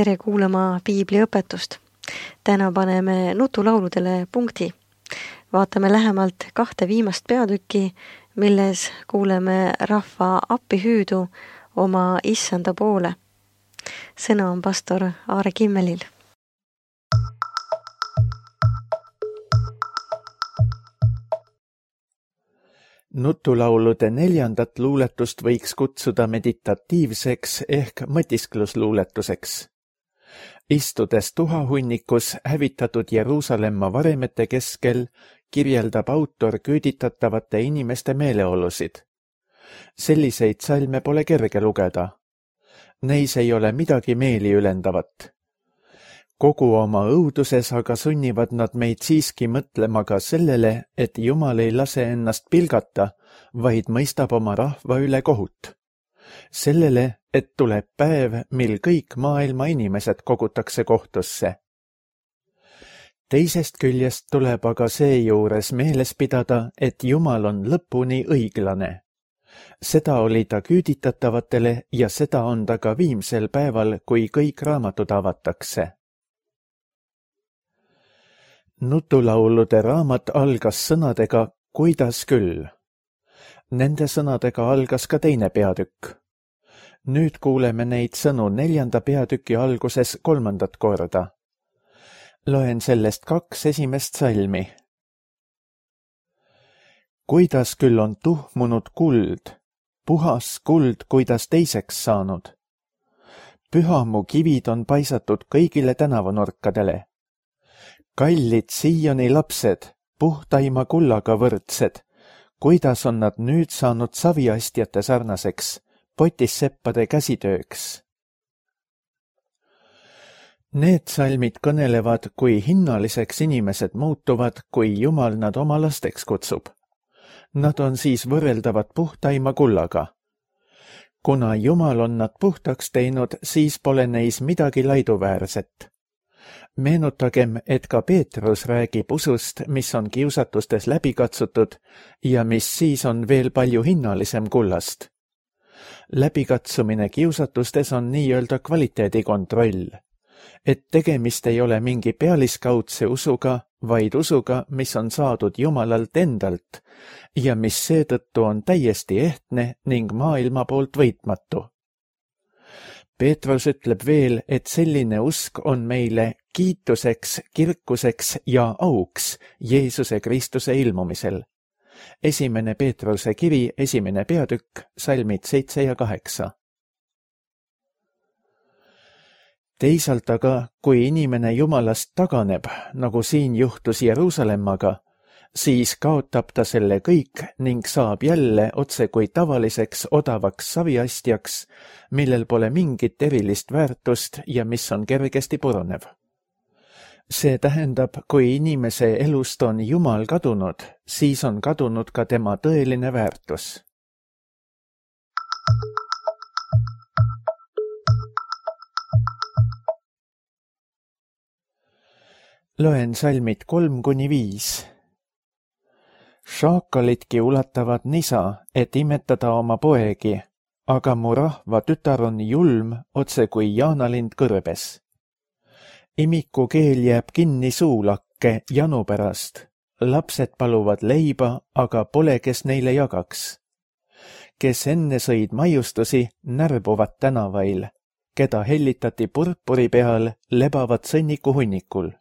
Tere kuulama piibliõpetust. Täna paneme nutulauludele punkti. Vaatame lähemalt 2 viimast peatükki, milles kuuleme rahva appihüüdu oma issanda poole. Sõna on pastor Aare Kimmelil. Nutulaulude 4. luuletust võiks kutsuda meditatiivseks ehk mõtisklusluuletuseks. Istudes tuhahunnikus hävitatud Jeruusalemma varemete keskel, kirjeldab autor küüditatavate inimeste meeleolusid. Selliseid salme pole kerge lugeda. Neis ei ole midagi meeli ülendavat. Kogu oma õuduses aga sunnivad nad meid siiski mõtlema ka sellele, et Jumal ei lase ennast pilgata, vaid mõistab oma rahva üle kohut. Sellele, et tuleb päev, mil kõik maailma inimesed kogutakse kohtusse. Teisest küljest tuleb aga seejuures meeles pidada, et Jumal on lõpuni õiglane. Seda oli ta küüditatavatele ja seda on ta ka viimsel päeval, kui kõik raamatud avatakse. Nutulaulude raamat algas sõnadega "Kuidas küll?". Nende sõnadega algas ka 2. peatükk. Nüüd kuuleme neid sõnu 4. peatüki alguses 3. korda. Loen sellest 2 esimest salmi. Kuidas küll on tuhmunud kuld, puhas kuld, kuidas teiseks saanud. Pühamu kivid on paisatud kõigile tänavanurkadele. Kallid Sioni lapsed, puhtaima kullaga võrdsed, kuidas on nad nüüd saanud saviastjate sarnaseks, potisseppade käsitööks. Need salmid kõnelevad, kui hinnaliseks inimesed muutuvad, kui Jumal nad oma lasteks kutsub. Nad on siis võrreldavad puhtaima kullaga. Kuna Jumal on nad puhtaks teinud, siis pole neis midagi laiduväärset. Meenutagem, et ka Peetrus räägib usust, mis on kiusatustes läbi katsutud ja mis siis on veel palju hinnalisem kullast. Läbikatsumine kiusatustes on nii-öelda kvaliteedikontroll, et tegemist ei ole mingi pealiskaudse usuga, vaid usuga, mis on saadud Jumalalt endalt ja mis seetõttu on täiesti ehtne ning maailma poolt võitmatu. Peetrus ütleb veel, et selline usk on meile kiituseks, kirkuseks ja auks Jeesuse Kristuse ilmumisel. 1. Peetruse kiri, 1. peatükk, salmid 7 ja 8. Teisalt aga, kui inimene Jumalast taganeb, nagu siin juhtus Jeruusalemmaga, siis kaotab ta selle kõik ning saab jälle otse kui tavaliseks odavaks saviastjaks, millel pole mingit erilist väärtust ja mis on kergesti purunev. See tähendab, kui inimese elust on Jumal kadunud, siis on kadunud ka tema tõeline väärtus. Loen salmid 3-5. Šaakalitki ulatavad nisa, et imetada oma poegi, aga mu rahva tütar on julm, otse kui jaanalind kõrbes. Imiku keel jääb kinni suulakke janu pärast. Lapsed paluvad leiba, aga pole, kes neile jagaks. Kes enne sõid maiustusi, närbuvad tänavail. Keda hellitati purpuri peal, lebavad sõnniku hunnikul.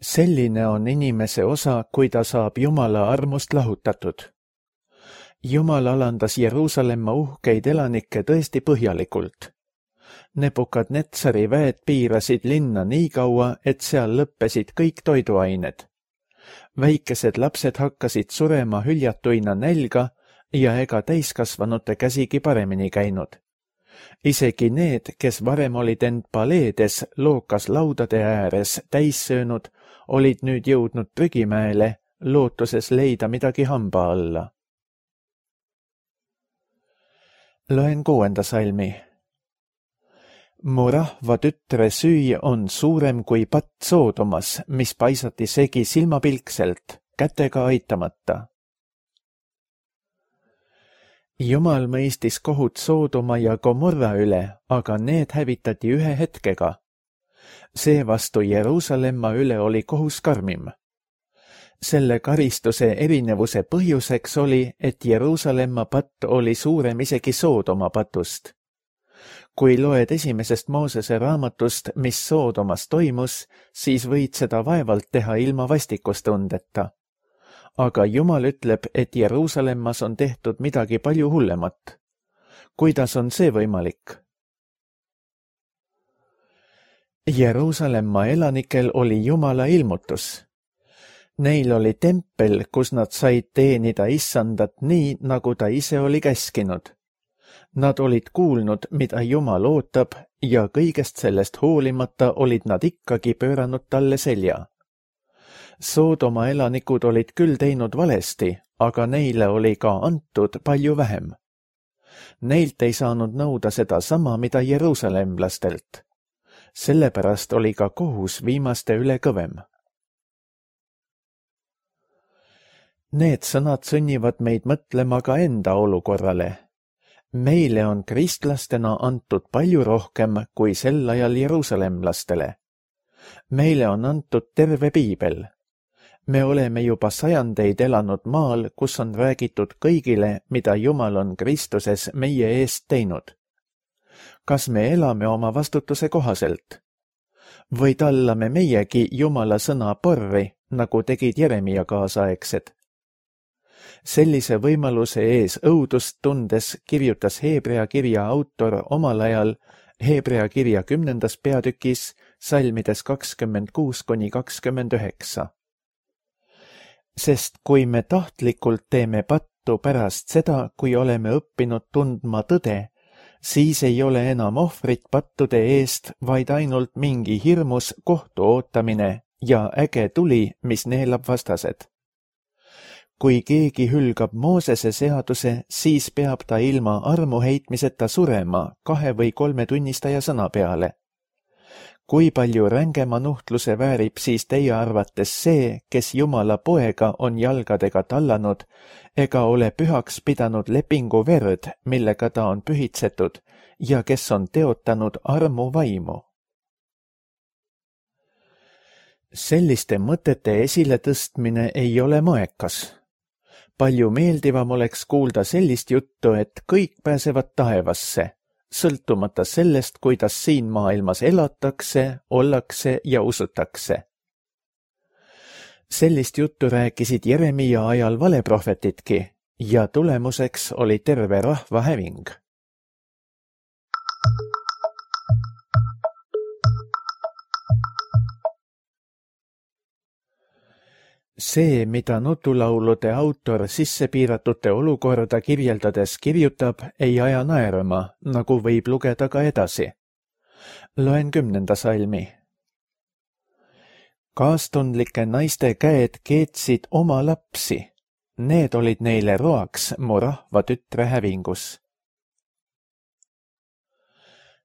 Selline on inimese osa, kui ta saab Jumala armust lahutatud. Jumal alandas Jeruusalemma uhkeid elanikke tõesti põhjalikult. Nebukadnetsari väed piirasid linna nii kaua, et seal lõppesid kõik toiduained. Väikesed lapsed hakkasid surema hüljatuina nälga ja ega täiskasvanute käsigi paremini käinud. Isegi need, kes varem olid end paleedes lookas laudade ääres täis söönud, olid nüüd jõudnud prügimäele, lootuses leida midagi hamba alla. Loen 6. salmi. Mu rahva tütre süü on suurem kui patt Soodomas, mis paisati segi silmapilkselt, kätega aitamata. Jumal mõistis kohut Soodoma ja Gomorra üle, aga need hävitati ühe hetkega. Seevastu Jeruusalemma üle oli kohus karmim. Selle karistuse erinevuse põhjuseks oli, et Jeruusalemma patt oli suurem isegi Soodoma patust. Kui loed esimesest Moosese raamatust, mis Soodomas toimus, siis võid seda vaevalt teha ilma vastikustundeta. Aga Jumal ütleb, et Jeruusalemmas on tehtud midagi palju hullemat. Kuidas on see võimalik? Jeruusalemma elanikel oli Jumala ilmutus. Neil oli tempel, kus nad said teenida Issandat nii, nagu ta ise oli käskinud. Nad olid kuulnud, mida Jumal ootab, ja kõigest sellest hoolimata olid nad ikkagi pööranud talle selja. Soodoma elanikud olid küll teinud valesti, aga neile oli ka antud palju vähem. Neilt ei saanud nõuda seda sama, mida jeruusalemlastelt. Sellepärast oli ka kohus viimaste üle kõvem. Need sõnad sunnivad meid mõtlema ka enda olukorrale. Meile on kristlastena antud palju rohkem kui sel ajal jeruusalemlastele. Meile on antud terve piibel. Me oleme juba sajandeid elanud maal, kus on räägitud kõigile, mida Jumal on Kristuses meie eest teinud. Kas me elame oma vastutuse kohaselt? Või tallame meiegi Jumala sõna porri, nagu tegid Jeremia kaasaegsed? Sellise võimaluse ees õudust tundes kirjutas Heebrea kirja autor omal ajal Heebrea kirja 10. peatükis salmides 26–29. Sest kui me tahtlikult teeme pattu pärast seda, kui oleme õppinud tundma tõde, siis ei ole enam ohvrit pattude eest, vaid ainult mingi hirmus kohtu ootamine ja äge tuli, mis neelab vastased. Kui keegi hülgab Moosese seaduse, siis peab ta ilma armu heitmiseta surema 2 või 3 tunnistaja sõna peale. Kui palju rängema nuhtluse väärib siis teie arvates see, kes Jumala poega on jalgadega tallanud, ega ole pühaks pidanud lepingu verd, millega ta on pühitsetud, ja kes on teotanud armu vaimu? Selliste mõtete esiletõstmine ei ole moekas. Palju meeldivam oleks kuulda sellist juttu, et kõik pääsevad taevasse, sõltumata sellest, kuidas siin maailmas elatakse, ollakse ja usutakse. Sellist juttu rääkisid Jeremia ajal valeprohvetidki ja tulemuseks oli terve rahva häving. See, mida nutulaulude autor sissepiiratute olukorda kirjeldades kirjutab, ei aja naerma, nagu võib lugeda ka edasi. Loen 10. salmi. Kaastundlike naiste käed keetsid oma lapsi. Need olid neile roaks mu rahva tütre hävingus.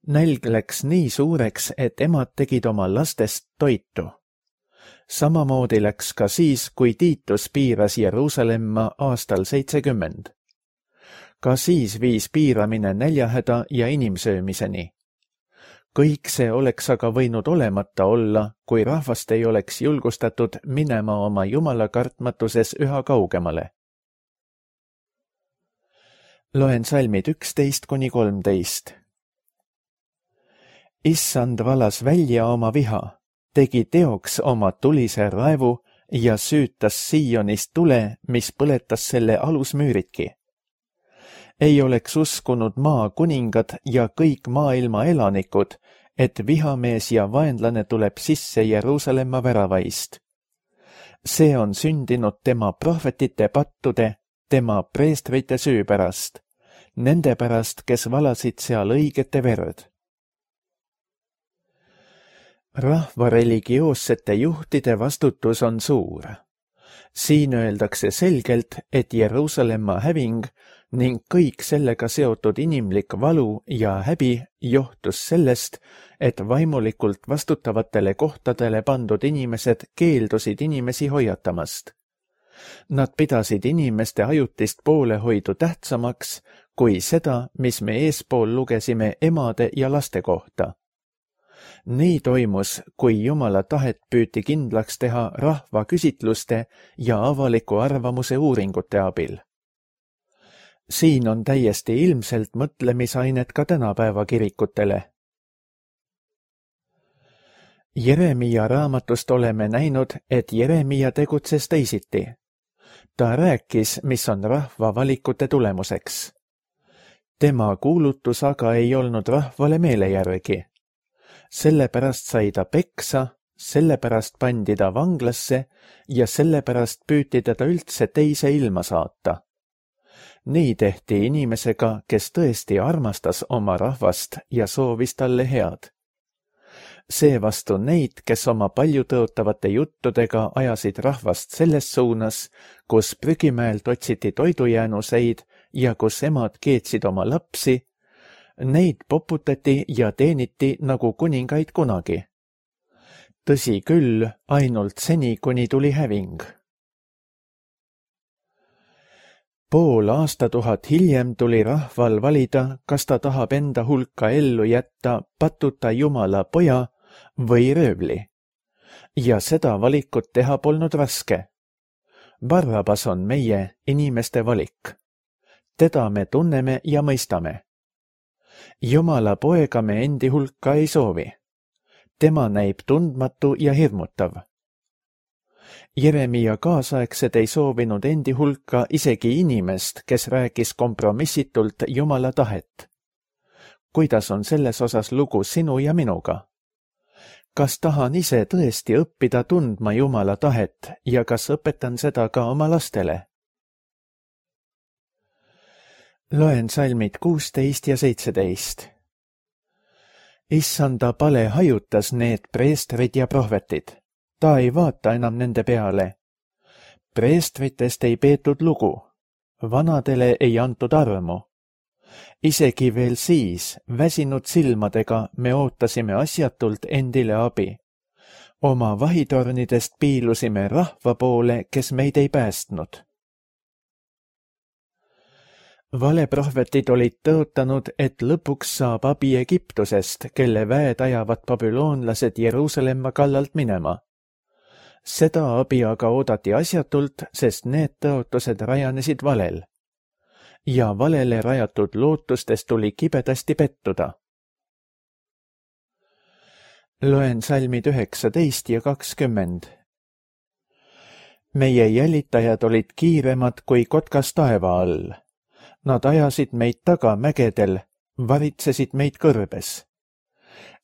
Nälg läks nii suureks, et emad tegid oma lastest toitu. Samamoodi läks ka siis, kui Tiitus piiras Jeruusalemma aastal 70. Ka siis viis piiramine näljahäda ja inimsöömiseni. Kõik see oleks aga võinud olemata olla, kui rahvast ei oleks julgustatud minema oma Jumala kartmatuses üha kaugemale. Loen salmid 11–13. Issand valas välja oma viha, tegi teoks oma tulise raevu ja süütas Siionist tule, mis põletas selle alusmüüridki. Ei oleks uskunud maa kuningad ja kõik maailma elanikud, et vihamees ja vaenlane tuleb sisse Jeruusalemma väravaist. See on sündinud tema prohvetite pattude, tema preestrite süü pärast, nende pärast, kes valasid seal õigete verd. Rahva religioossete juhtide vastutus on suur. Siin öeldakse selgelt, et Jeruusalemma häving ning kõik sellega seotud inimlik valu ja häbi johtus sellest, et vaimulikult vastutavatele kohtadele pandud inimesed keeldusid inimesi hoiatamast. Nad pidasid inimeste ajutist poolehoidu tähtsamaks kui seda, mis me eespool lugesime emade ja laste kohta. Nii toimus, kui Jumala tahet püüti kindlaks teha rahva küsitluste ja avaliku arvamuse uuringute abil. Siin on täiesti ilmselt mõtlemisainet ka tänapäeva kirikutele. Jeremia raamatust oleme näinud, et Jeremia tegutses teisiti. Ta rääkis, mis on rahva valikute tulemuseks. Tema kuulutus aga ei olnud rahvale meele järgi. Sellepärast sai ta peksa, sellepärast pandi ta vanglasse ja sellepärast püüti teda üldse teise ilma saata. Nii tehti inimesega, kes tõesti armastas oma rahvast ja soovis talle head. Seevastu neid, kes oma paljutõotavate juttudega ajasid rahvast selles suunas, kus prügimäelt otsiti toidujäänuseid ja kus emad keetsid oma lapsi, neid poputati ja teeniti nagu kuningaid kunagi. Tõsi küll, ainult seni, kuni tuli häving. Pool aastatuhat hiljem tuli rahval valida, kas ta tahab enda hulka ellu jätta patuta Jumala poja või röövli. Ja seda valikut teha polnud raske. Barrabas on meie inimeste valik. Teda me tunneme ja mõistame. Jumala poega me endi hulka ei soovi. Tema näib tundmatu ja hirmutav. Jeremia kaasaegsed ei soovinud endi hulka isegi inimest, kes rääkis kompromissitult Jumala tahet. Kuidas on selles osas lugu sinu ja minuga? Kas tahan ise tõesti õppida tundma Jumala tahet ja kas õpetan seda ka oma lastele? Loen salmid 16 ja 17. Issanda pale hajutas need preestrid ja prohvetid. Ta ei vaata enam nende peale. Preestritest ei peetud lugu. Vanadele ei antud armu. Isegi veel siis, väsinud silmadega, me ootasime asjatult endile abi. Oma vahitornidest piilusime rahva poole, kes meid ei päästnud. Valeprohvetid olid tõotanud, et lõpuks saab abi Egiptusest, kelle väed ajavad babüloonlased Jeruusalemma kallalt minema. Seda abi aga oodati asjatult, sest need tõotused rajanesid valel. Ja valele rajatud lootustest tuli kibedasti pettuda. Loen salmid 19 ja 20. Meie jälitajad olid kiiremad kui kotkas taeva all. Nad ajasid meid taga mägedel, varitsesid meid kõrbes.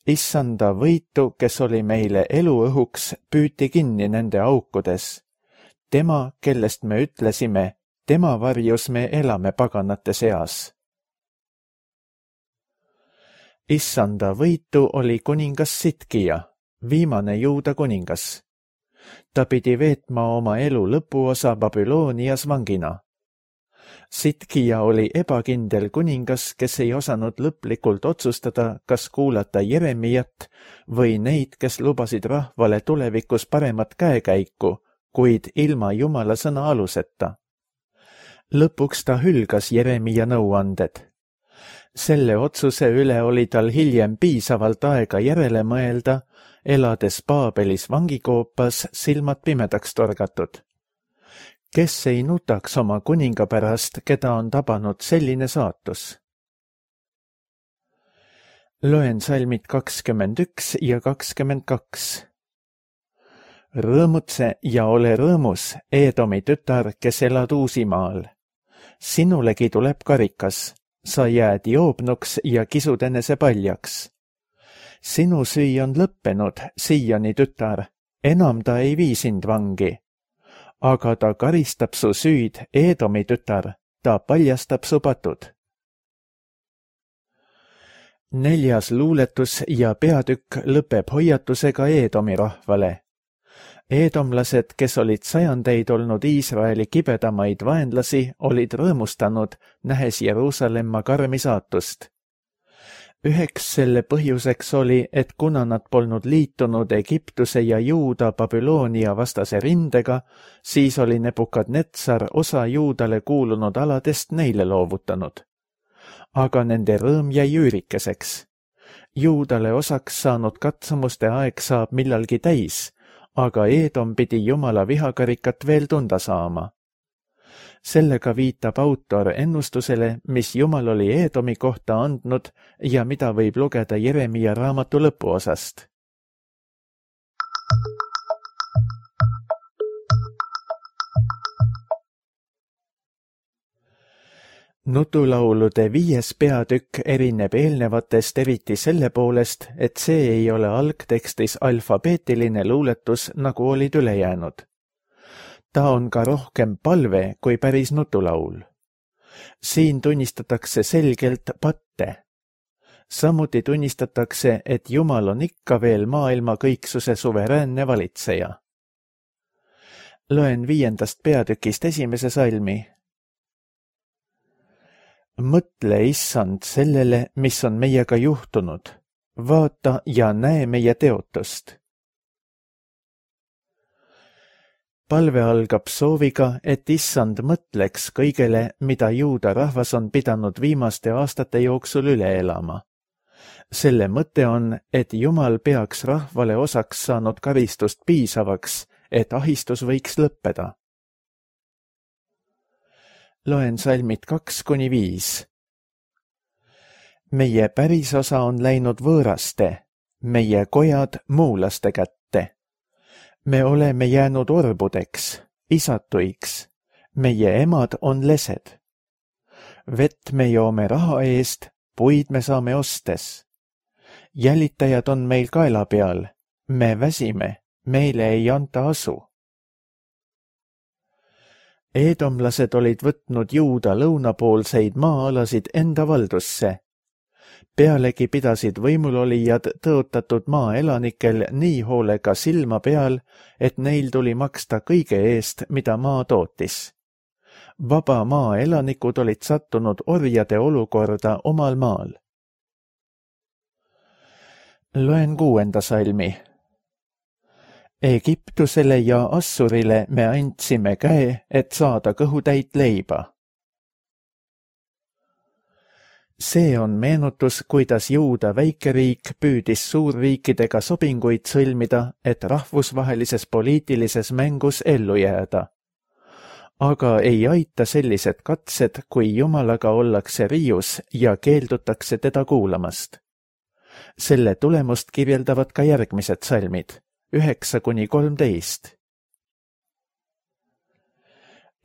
Issanda võitu, kes oli meile eluõhuks, püüti kinni nende aukudes. Tema, kellest me ütlesime, tema varjus me elame paganate seas. Issanda võitu oli kuningas Sitkija, viimane Juuda kuningas. Ta pidi veetma oma elu lõpuosa Babylonias vangina. Sitkija oli ebakindel kuningas, kes ei osanud lõplikult otsustada, kas kuulata Jeremiat või neid, kes lubasid rahvale tulevikus paremat käekäiku, kuid ilma Jumala sõna aluseta. Lõpuks ta hülgas Jeremia nõuanded. Selle otsuse üle oli tal hiljem piisavalt aega järele mõelda, elades Paabelis vangikoopas silmad pimedaks torgatud. Kes ei nutaks oma kuninga pärast, keda on tabanud selline saatus? Loen salmid 21 ja 22. Rõõmutse ja ole rõõmus, Eedomi tütar, kes elad Uusimaal. Sinulegi tuleb karikas, sa jääd joobnuks ja kisud enese paljaks. Sinu süü on lõppenud, Sioni tütar, enam ta ei vii sind vangi. Aga ta karistab su süüd, Eedomi tütar, ta paljastab su patud. 4. luuletus ja peatükk lõpeb hoiatusega Eedomi rahvale. Eedomlased, kes olid sajandeid olnud Iisraeli kibedamaid vaenlasi, olid rõõmustanud, nähes Jeruusalemma karmi saatust. Üheks selle põhjuseks oli, et kuna nad polnud liitunud Egiptuse ja Juuda Babyloonia vastase rindega, siis oli Nebukadnetsar osa Juudale kuulunud aladest neile loovutanud. Aga nende rõõm jäi üürikeseks. Juudale osaks saanud katsumuste aeg saab millalgi täis, aga Eedom pidi Jumala vihakarikat veel tunda saama. Sellega viitab autor ennustusele, mis Jumal oli Eedomi kohta andnud ja mida võib lugeda Jeremia raamatu lõpuosast. Nutulaulude 5. peatükk erineb eelnevatest eriti selle poolest, et see ei ole algtekstis alfabeetiline luuletus, nagu olid ülejäänud. Ta on ka rohkem palve kui päris nutulaul. Siin tunnistatakse selgelt patte. Samuti tunnistatakse, et Jumal on ikka veel maailma kõiksuse suveräänne valitseja. Loen 5. peatükist 1. salmi. Mõtle, issand, sellele, mis on meiega juhtunud. Vaata ja näe meie teotust. Palve algab sooviga, et issand mõtleks kõigele, mida Juuda rahvas on pidanud viimaste aastate jooksul üle elama. Selle mõte on, et Jumal peaks rahvale osaks saanud karistust piisavaks, et ahistus võiks lõppeda. Loen salmid 2-5. Meie pärisosa on läinud võõraste, meie kojad muulaste kätte. Me oleme jäänud orbudeks, isatuiks, meie emad on lesed. Vett me joome raha eest, puid me saame ostes. Jälitajad on meil kaela peal, me väsime, meile ei anta asu. Eedomlased olid võtnud Juuda lõunapoolseid maa-alasid enda valdusse. Pealegi pidasid võimulolijad tõotatud maaelanikel nii hoolega silma peal, et neil tuli maksta kõige eest, mida maa tootis. Vaba maaelanikud olid sattunud orjade olukorda omal maal. Loen 6. salmi. Egiptusele ja Assurile me andsime käe, et saada kõhutäit leiba. See on meenutus, kuidas Juuda väikeriik püüdis suurriikidega sobinguid sõlmida, et rahvusvahelises poliitilises mängus ellu jääda. Aga ei aita sellised katsed, kui Jumalaga ollakse riius ja keeldutakse teda kuulamast. Selle tulemust kirjeldavad ka järgmised salmid, 9-13.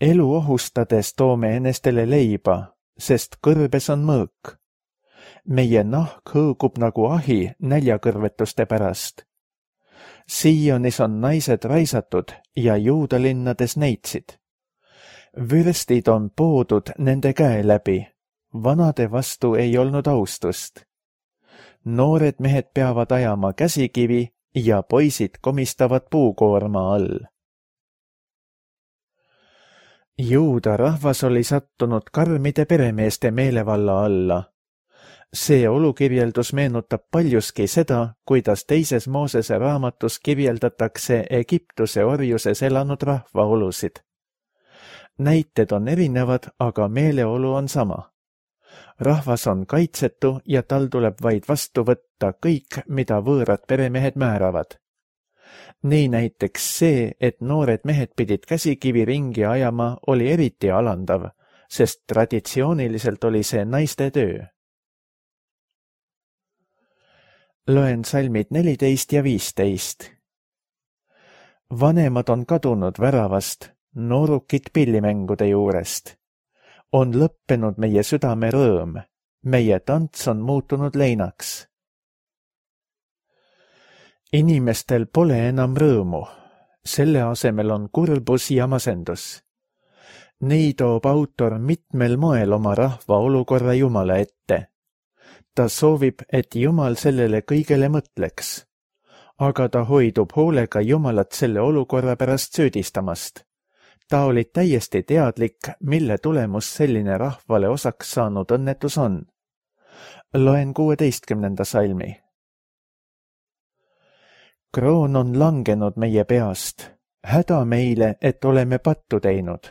Elu ohustades toome enestele leiba, sest kõrbes on mõõk. Meie nahk hõõgub nagu ahi näljakõrvetuste pärast. Sionis on naised raisatud ja Juuda linnades neitsid. Vürstid on poodud nende käe läbi, vanade vastu ei olnud austust. Noored mehed peavad ajama käsikivi ja poisid komistavad puukoorma all. Juuda rahvas oli sattunud karmide peremeeste meelevalla alla. See olukirjeldus meenutab paljuski seda, kuidas 2. Moosese raamatus kirjeldatakse Egiptuse orjuses elanud rahva olusid. Näited on erinevad, aga meeleolu on sama. Rahvas on kaitsetu ja tal tuleb vaid vastu võtta kõik, mida võõrad peremehed määravad. Nii näiteks see, et noored mehed pidid käsikivi ringi ajama, oli eriti alandav, sest traditsiooniliselt oli see naiste töö. Loen salmid 14 ja 15. Vanemad on kadunud väravast, noorukid pillimängude juurest. On lõppenud meie südame rõõm, meie tants on muutunud leinaks. Inimestel pole enam rõõmu, selle asemel on kurbus ja masendus. Nii toob autor mitmel moel oma rahva olukorra Jumala ette. Ta soovib, et Jumal sellele kõigele mõtleks, aga ta hoidub hoolega Jumalat selle olukorra pärast süüdistamast. Ta oli täiesti teadlik, mille tulemus selline rahvale osaks saanud õnnetus on. Loen 16. salmi. Kroon on langenud meie peast, häda meile, et oleme pattu teinud.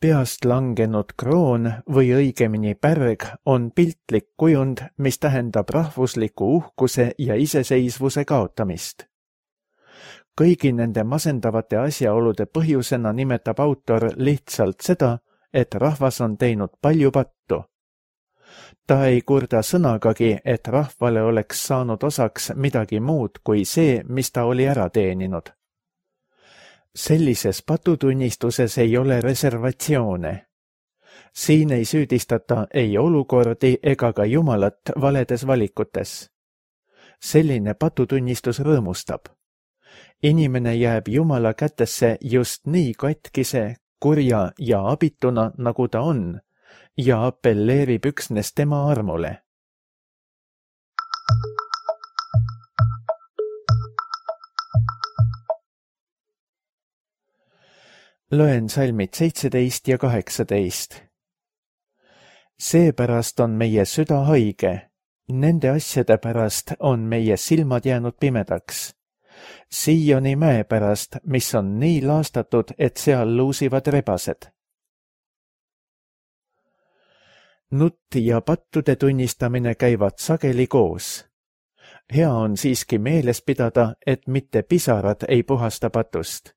Peast langenud kroon või õigemini pärg on piltlik kujund, mis tähendab rahvusliku uhkuse ja iseseisvuse kaotamist. Kõigi nende masendavate asjaolude põhjusena nimetab autor lihtsalt seda, et rahvas on teinud palju pattu. Ta ei kurda sõnagagi, et rahvale oleks saanud osaks midagi muud kui see, mis ta oli ära teeninud. Sellises patutunnistuses ei ole reservatsioone. Siin ei süüdistata ei olukordi ega ka Jumalat valedes valikutes. Selline patutunnistus rõõmustab. Inimene jääb Jumala kätesse just nii katkise, kurja ja abituna, nagu ta on, ja appelleerib üksnes tema armule. Loen salmid 17 ja 18. Seepärast on meie süda haige, nende asjade pärast on meie silmad jäänud pimedaks. Sioni mäe pärast, mis on nii laastatud, et seal luusivad rebased. Nutt ja pattude tunnistamine käivad sageli koos. Hea on siiski meeles pidada, et mitte pisarad ei puhasta patust.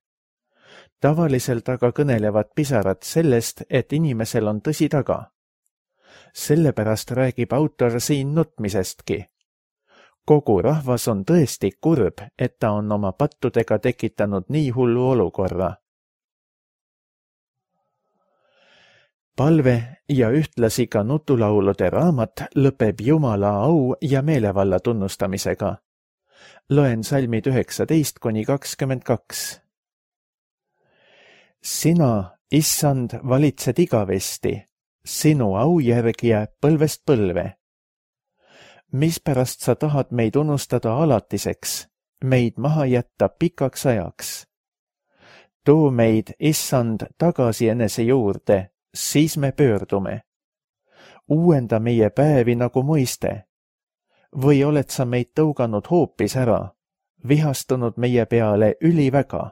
Tavaliselt aga kõnelevad pisarad sellest, et inimesel on tõsi taga. Sellepärast räägib autor siin nutmisestki. Kogu rahvas on tõesti kurb, et ta on oma pattudega tekitanud nii hullu olukorra. Palve ja ühtlasi ka nutulaulude raamat lõpeb Jumala au ja meelevalla tunnustamisega. Loen salmid 19–22. Sina, Issand, valitsed igavesti, sinu au järg jääb põlvest põlve. Mispärast sa tahad meid unustada alatiseks, meid maha jätta pikaks ajaks? Too meid, Issand, tagasi enese juurde, siis me pöördume. Uuenda meie päevi nagu muiste. Või oled sa meid tõuganud hoopis ära, vihastunud meie peale üliväga?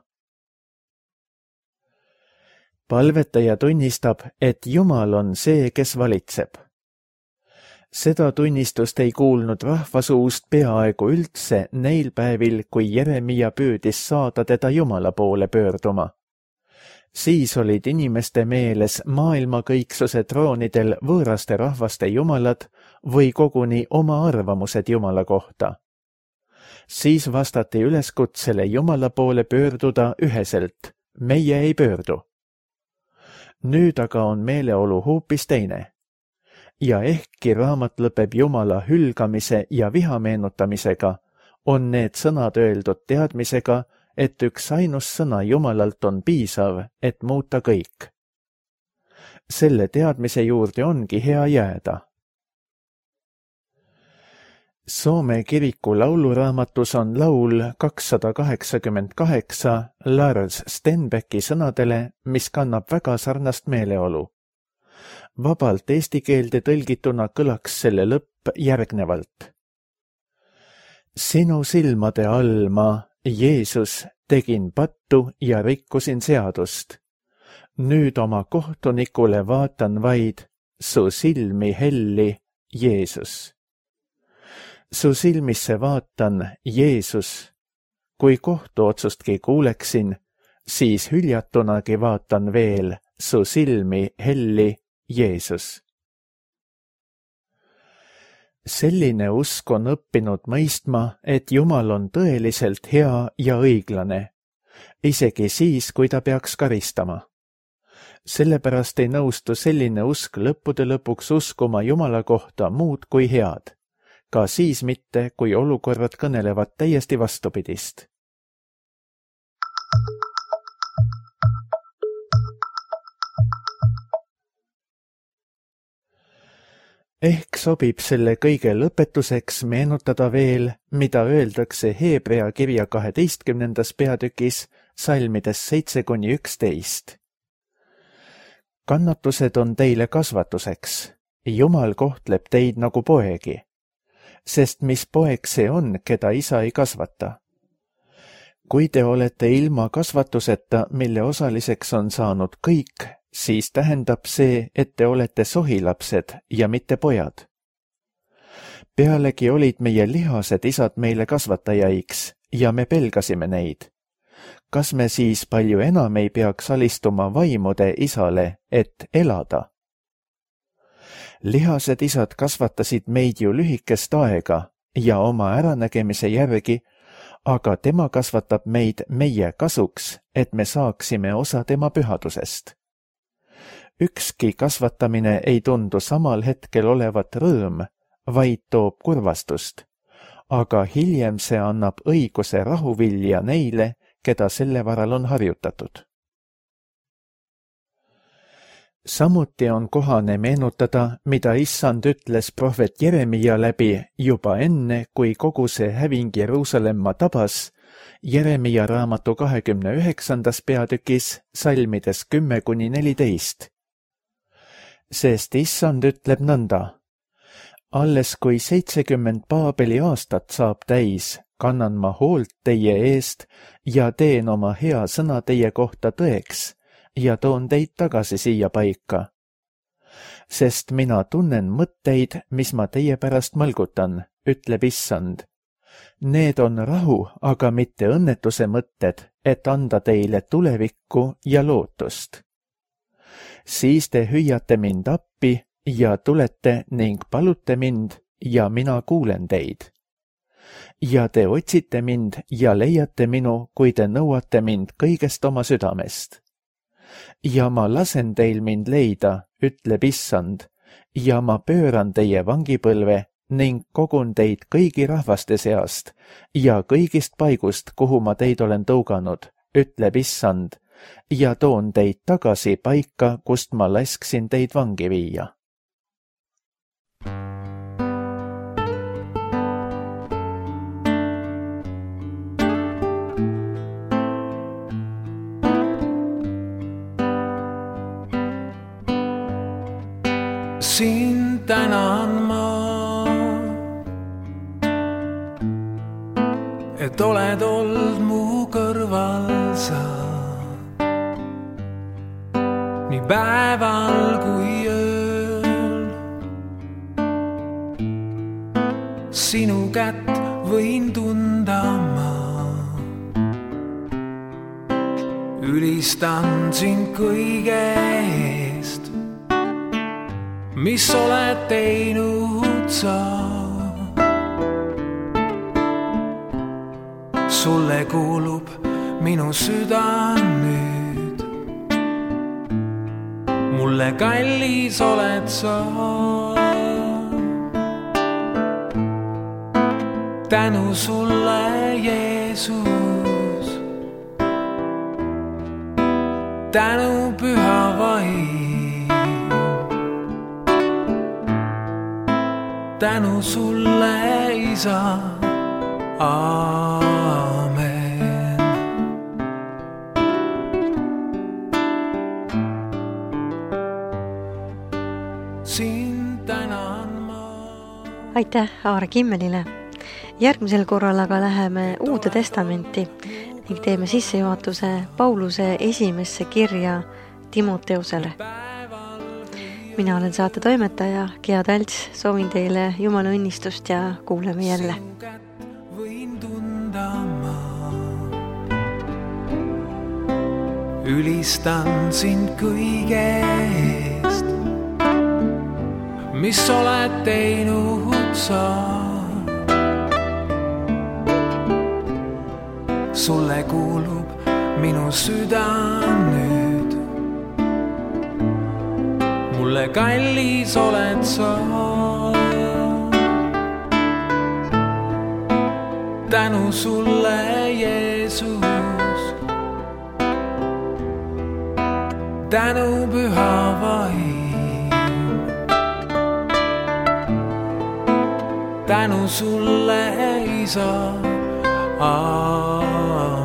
Palvetaja tunnistab, et Jumal on see, kes valitseb. Seda tunnistust ei kuulnud rahva suust peaaegu üldse neil päevil, kui Jeremia püüdis saada teda Jumala poole pöörduma. Siis olid inimeste meeles maailmakõiksuse troonidel võõraste rahvaste jumalad või koguni oma arvamused Jumala kohta. Siis vastati üleskutsele Jumala poole pöörduda üheselt, meie ei pöördu. Nüüd aga on meeleolu hoopis teine. Ja ehkki raamat lõpeb Jumala hülgamise ja viha meenutamisega, on need sõnad öeldud teadmisega, et üks ainus sõna Jumalalt on piisav, et muuta kõik. Selle teadmise juurde ongi hea jääda. Soome kiriku lauluraamatus on laul 288 Lars Stenbecki sõnadele, mis kannab väga sarnast meeleolu. Vabalt eesti keelde tõlgituna kõlaks selle lõpp järgnevalt. Sinu silmade all ma, Jeesus, tegin pattu ja rikkusin seadust. Nüüd oma kohtunikule vaatan vaid su silmi helli, Jeesus. Su silmisse vaatan, Jeesus. Kui kohtuotsustki kuuleksin, siis hüljatunagi vaatan veel su silmi helli, Jeesus. Selline usk on õppinud mõistma, et Jumal on tõeliselt hea ja õiglane, isegi siis, kui ta peaks karistama. Sellepärast ei nõustu selline usk lõppude lõpuks uskuma Jumala kohta muud kui head, ka siis mitte, kui olukorrad kõnelevad täiesti vastupidist. Ehk sobib selle kõige lõpetuseks meenutada veel, mida öeldakse Hebrea kirja 12. peatükis salmides 7–11. Kannatused on teile kasvatuseks, Jumal kohtleb teid nagu poegi, sest mis poeg see on, keda isa ei kasvata? Kui te olete ilma kasvatuseta, mille osaliseks on saanud kõik, siis tähendab see, et te olete sohilapsed ja mitte pojad. Pealegi olid meie lihased isad meile kasvatajaiks ja me pelgasime neid. Kas me siis palju enam ei peaks alistuma vaimude isale, et elada? Lihased isad kasvatasid meid ju lühikest aega ja oma äranägemise järgi, aga tema kasvatab meid meie kasuks, et me saaksime osa tema pühadusest. Ükski kasvatamine ei tundu samal hetkel olevat rõõm, vaid toob kurvastust, aga hiljem see annab õiguse rahuvilja neile, keda selle varal on harjutatud. Samuti on kohane meenutada, mida issand ütles prohvet Jeremia läbi juba enne, kui kogu see häving Jeruusalemma tabas, Jeremia raamatu 29. peatükis salmides 10-14. Sest issand ütleb nõnda: alles kui 70 Paabeli aastat saab täis, kannan ma hoolt teie eest ja teen oma hea sõna teie kohta tõeks ja toon teid tagasi siia paika. Sest mina tunnen mõtteid, mis ma teie pärast mõlgutan, ütleb issand. Need on rahu, aga mitte õnnetuse mõtted, et anda teile tulevikku ja lootust. Siis te hüüate mind appi ja tulete ning palute mind ja mina kuulen teid. Ja te otsite mind ja leiate minu, kui te nõuate mind kõigest oma südamest. Ja ma lasen teil mind leida, ütleb issand, ja ma pööran teie vangipõlve ning kogun teid kõigi rahvaste seast ja kõigist paigust, kuhu ma teid olen tõuganud, ütleb issand, ja toon teid tagasi paika, kust ma lasksin teid vangi viia. Sind tänan ma, et oled olnud mu kõrval sa, nii päeval kui ööl. Sinu kätt võin tunda ma, ülistan sind kõige eest, mis oled teinud sa. Sulle kuulub minu süda nüüd, mulle kallis oled sa. Tänu sulle, Jeesus, tänu püha vaim, tänu sulle, isa, aamen. Sind tänan ma. Aitäh Aare Kimmelile. Järgmisel korral aga läheme Uude Testamenti ning teeme sissejuhatuse Pauluse esimesse kirja Timoteusele. Mina olen saate toimetaja Gea Talts, soovin teile Jumala õnnistust ja kuuleme jälle. Võin tunda ma, ülistan sind kõige eest, mis oled teinud sa. Sulle kuulub minu süda nüüd, mulle kallis oled sa. Tänu sulle, Jeesus, tänu püha vaim, tänu sulle, isa, aamen.